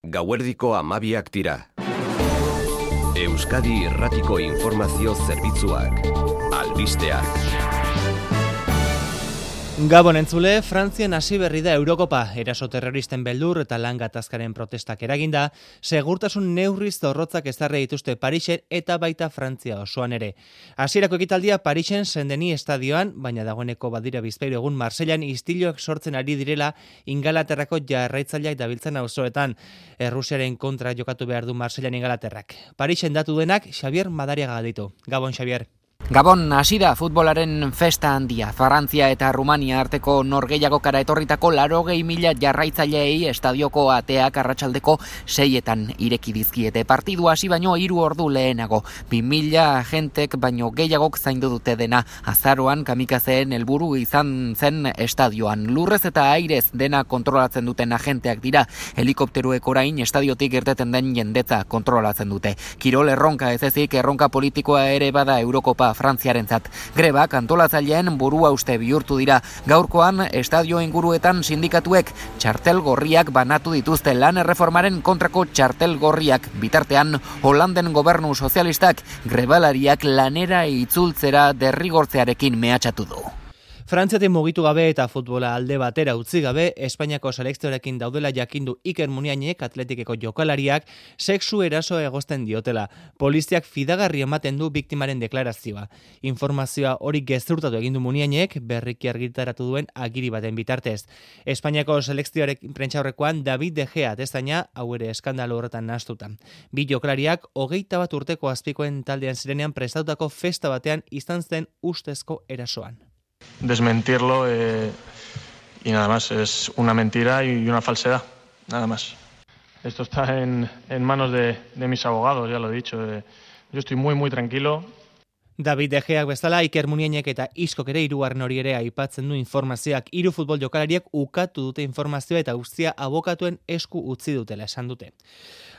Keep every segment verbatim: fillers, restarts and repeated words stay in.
Gauerdiko hamabiak dira. Euskadi Irratiko Informazio Zerbitzuak. Albisteak. Gabon entzule, Frantzian hasi berri da Eurokopa, eraso terroristen beldur eta lan gatazkaren protestak eraginda, segurtasun neurri zorrotzak ezarri dituzte Parisen eta baita Frantzia osoan ere. Hasierako ekitaldia Parisen Saint-Denis estadioan, baina dagoeneko badira bizpahiru egun Marsellan istiluak sortzen ari direla Ingalaterrako jarraitzaileak dabiltzan auzoetan. Errusiaren kontra jokatu behar du Marsellan Ingalaterrak. Parisen datu denak Xavier Madariaga ditu. Gabon Xavier. Gabon, hasi da futbolaren festa handia. Frantzia eta Rumania arteko norgehiagokara etorritako laurogei mila jarraitzaileei estadioko ateak arratsaldeko seietan ireki dizkiete. Partidu hasi baino hiru ordu lehenago. Bi mila agentek baino gehiagok zaindu dute dena. Azaroan kamikazeen helburu izan zen estadioan. Lurrez eta airez dena kontrolatzen duten agenteak dira. Helikopteruek orain estadiotik irteten den jendetza kontrolatzen dute. Kirol erronka ez ezik erronka politikoa ere bada Eurokopa Frantziarentzat. Grebak antolatzaileen burua uste bihurtu dira. Gaurkoan estadio inguruetan sindikatuek txartel gorriak banatu dituzte, lan erreformaren kontrako txartel gorriak. Bitartean, Holanden gobernu sozialistak grebalariak lanera itzultzera derrigortzearekin mehatxatu du. Frantziatik mugitu gabe eta futbola alde batera utzi gabe, Espainiako selekzioarekin daudela jakindu Iker Muniainek atletikeko jokalariak sexu eraso egozten diotela. Poliziak fidagarri ematen du biktimaren deklarazioa. Informazioa hori gezurtatu egin du Muniainek berriki argitaratu duen agiri baten bitartez. Espainiako selekzioarekin prentsaurrekoan David De Gea atezaina hau ere eskandalu horretan nahastuta. Bi jokalariak hogeita bat urteko azpikoen taldean zirenean prestatutako festa batean izan zen ustezko erasoan. Desmentirlo eh, y nada más, es una mentira y una falsedad, nada más. Esto está en, en manos de, de mis abogados, ya lo he dicho. Eh, yo estoy muy, muy tranquilo. David De Geak bezala, Iker Muniainek eta Iskok ere hirugarren hori ere aipatzen du informazioak. Hiru futbol jokalariak ukatu dute informazioa eta guztia abokatuen esku utzi dutela esan dute.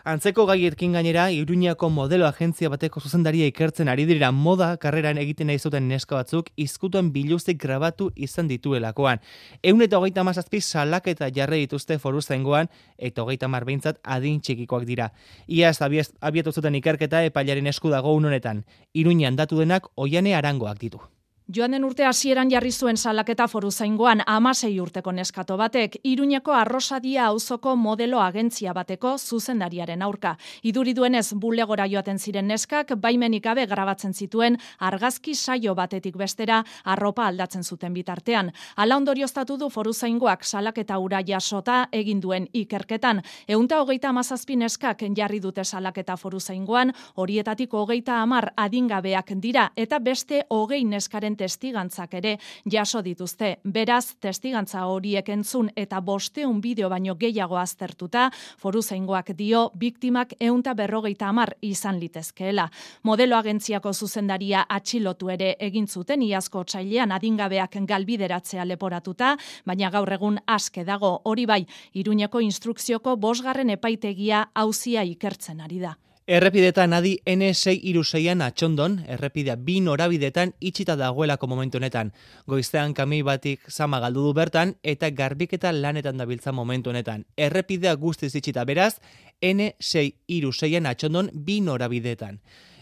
Antzeko gaiekin gainera, Iruñako modelo agentzia bateko zuzendaria ikertzen ari dira moda karreran egiten nahi zuten neska batzuk izkutuen biluzik grabatu izan dituelakoan. Ehun eta hogeita hamazazpi salaketa jarri dituzte foruzaingoan eta hogeita hamar behintzat adin txikikoak dira. Iaz abiatu zuten ikerketa epailaren esku dago honetan. Iruñan datu denak Oiane Arangoak ditu. Joan den urte hasieran jarri zuen salaketa foruzaingoan hamasei urteko neskato batek, Iruñeko Arrosadia auzoko modelo agentzia bateko zuzendariaren aurka. Iduri duenez bulegora joaten ziren neskak, baimenik gabe grabatzen zituen argazki saio batetik bestera arropa aldatzen zuten bitartean. Hala ondorioztatu du foruzaingoak salaketa hura jasota egin duen ikerketan. Ehunta hogeita hamazazpi neskak jarri dute salaketa foruzaingoan, horietatik hogeita hamar adingabeak dira eta beste hogei neskaren testigantzak ere jaso dituzte. Beraz, testigantza horiek entzun eta bosteun bideo baino gehiago aztertuta, foruzaingoak dio biktimak ehunta berrogeita hamar izan litezkeela. Modelo agentziako zuzendaria atxilotu ere egin zuten iazko otsailean adingabeak galbideratzea leporatuta, baina gaur egun aske dago. Hori bai, Iruñeko instrukzioko bosgarren epaitegia auzia ikertzen ari da. Errepidetan adi N sei hiru seian atxondon, errepidea bi norabidetan itxita dagoelako momentu honetan. Goizean kamioi batik zama galdu du bertan eta garbiketa lanetan dabiltza momentu honetan. Errepidea guztiz itxita beraz, N sei hiru seian atxondon bi norabidetan.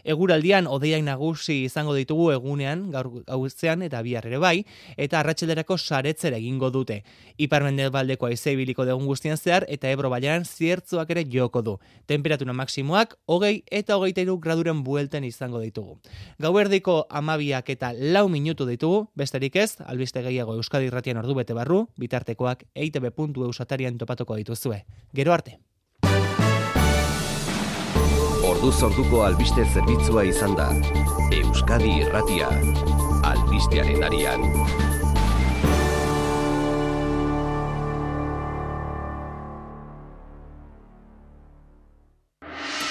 Eguraldian hodeiak nagusi izango ditugu egunean, gaur gauzean eta bihar ere bai, eta arratsalderako saretzera egingo dute. Ipar-mendebaldeko haizea ibiliko dugun guztian zehar eta Ebro bailaran ziertzoak ere joko du. Temperatura maksimoak hogei eta hogeita hiru graduren buelten izango ditugu. Gauerdiko hamabiak eta lau minutu ditugu, besterik ez, albiste gehiago Euskadi Irratian ordu bete barru, bitartekoak e i te be puntu eus atarian topatuko dituzue. Gero arte. Orduz orduko albiste zerbitzua izan da. Euskadi Irratia. Albistearen arian.